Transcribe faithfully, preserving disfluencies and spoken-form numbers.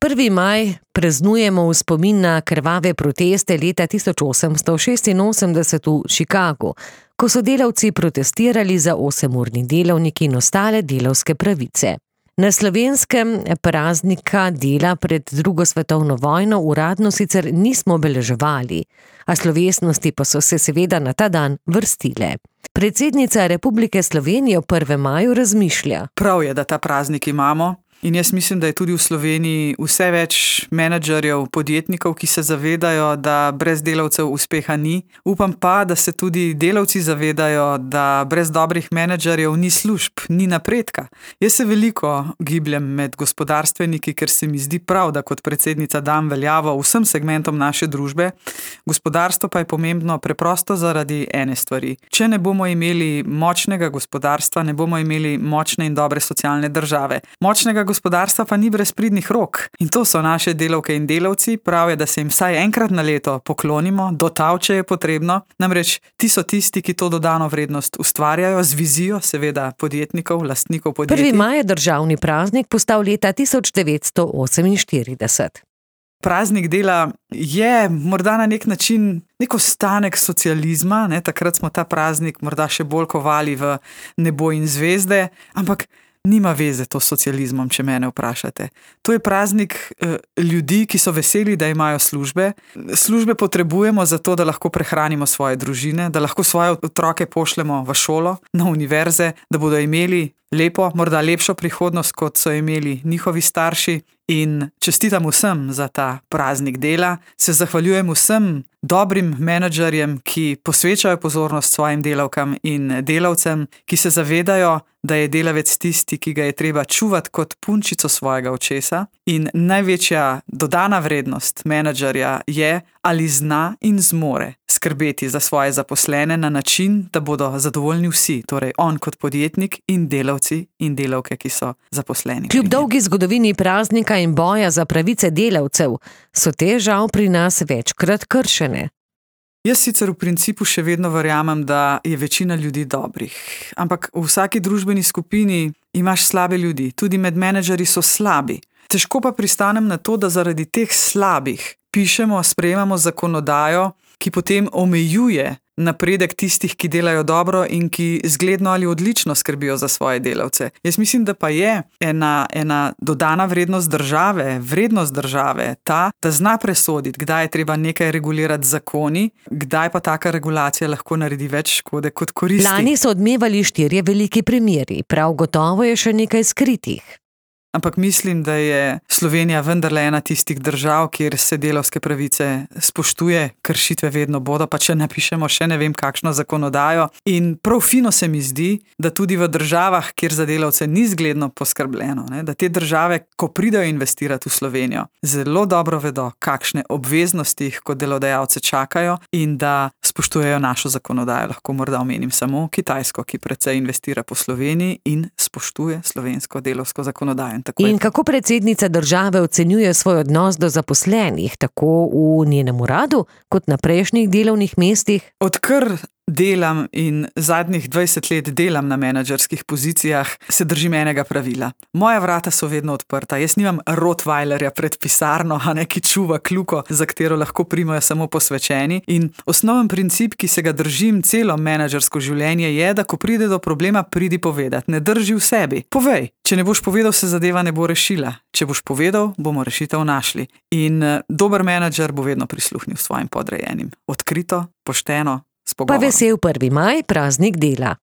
prvi maj praznujemo v spomin na krvave proteste leta tisoč osemsto šestinosemdeset v Chicagu, ko so delavci protestirali za osemurni delavnik in ostale delavske pravice. Na Slovenskem praznika dela pred drugo svetovno vojno uradno sicer nismo obeleževali, a slovesnosti pa so se seveda na ta dan vrstile. Predsednica Republike Slovenije v prvem maju razmišlja. Prav je, da ta praznik imamo. In jaz mislim, da je tudi v Sloveniji vse več menedžerjev, podjetnikov, ki se zavedajo, da brez delavcev uspeha ni. Upam pa, da se tudi delavci zavedajo, da brez dobrih menedžerjev ni služb, ni napredka. Jaz se veliko gibljem med gospodarstveniki, ker se mi zdi prav, da kot predsednica dam veljavo vsem segmentom naše družbe. Gospodarstvo pa je pomembno preprosto zaradi ene stvari. Če ne bomo imeli močnega gospodarstva, ne bomo imeli močne in dobre socialne države. Močnega gospodarstva pa ni brez pridnih rok. In to so naše delavke in delavci. Prav je, da se jim vsaj enkrat na leto poklonimo, dotavče je potrebno. Namreč ti so tisti, ki to dodano vrednost ustvarjajo z vizijo, seveda podjetnikov, lastnikov podjetij. Prvi maj je državni praznik postal leta tisoč devetsto oseminštirideset. Praznik dela je morda na nek način nek ostanek socializma, ne? Takrat smo ta praznik morda še bolj kovali v nebo in zvezde, ampak nima veze to s socializmom, če mene vprašate. To je praznik eh, ljudi, ki so veseli, da imajo službe. Službe potrebujemo zato, da lahko prehranimo svoje družine, da lahko svoje otroke pošljemo v šolo, na univerze, da bodo imeli lepo, morda lepšo prihodnost, kot so imeli njihovi starši. In čestitam vsem za ta praznik dela, se zahvaljujem vsem dobrim menedžerjem, ki posvečajo pozornost svojim delavkam in delavcem, ki se zavedajo, da je delavec tisti, ki ga je treba čuvati kot punčico svojega očesa. In največja dodana vrednost menedžerja je, ali zna in zmore skrbeti za svoje zaposlene na način, da bodo zadovoljni vsi, torej on kot podjetnik in delavci in delavke, ki so zaposleni. Kljub dolgi zgodovini praznika in boja za pravice delavcev, so te žal pri nas večkrat kršene. Jaz sicer v principu še vedno verjamem, da je večina ljudi dobrih, ampak v vsaki družbeni skupini imaš slabe ljudi, tudi med menedžerji so slabi. Težko pa pristanem na to, da zaradi teh slabih pišemo, sprejemamo zakonodajo, ki potem omejuje napredek tistih, ki delajo dobro in ki zgledno ali odlično skrbijo za svoje delavce. Jaz mislim, da pa je ena, ena dodana vrednost države, vrednost države ta, da zna presoditi, kdaj je treba nekaj regulirati z zakoni, kdaj pa taka regulacija lahko naredi več škode kot koristi. Lani so odmevali štirje veliki primeri, prav gotovo je še nekaj skritih. Ampak mislim, da je Slovenija vendarle ena tistih držav, kjer se delavske pravice spoštuje, kršitve vedno bodo, pa če napišemo še ne vem kakšno zakonodajo. In prav fino se mi zdi, da tudi v državah, kjer za delavce ni zgledno poskrbljeno, ne, da te države, ko pridejo investirati v Slovenijo, zelo dobro vedo, kakšne obveznosti jih kot delodajalce čakajo in da spoštujejo našo zakonodajo. Lahko morda omenim samo Kitajsko, ki precej investira po Sloveniji in spoštuje slovensko delovsko zakonodajo. In kako predsednica države ocenjuje svoj odnos do zaposlenih, tako v njenem uradu, kot na prejšnjih delovnih mestih? Odkar delam in zadnjih dvajset let delam na menedžerskih pozicijah, se držim enega pravila. Moja vrata so vedno odprta. Jaz nimam rottweilerja pred pisarno, a ne, ki čuva kljuko, za katero lahko primajo samo posvečeni. In osnoven princip, ki se ga držim celo menedžersko življenje, je, da ko pride do problema, pridi povedati. Ne drži v sebi. Povej. Če ne boš povedal, se zadeva ne bo rešila. Če boš povedal, bomo rešitev našli. In dober menedžer bo vedno prisluhnil svojim podrejenim. Odkrito, pošteno, s pogovorom. Pa vesel prvi maj, praznik dela.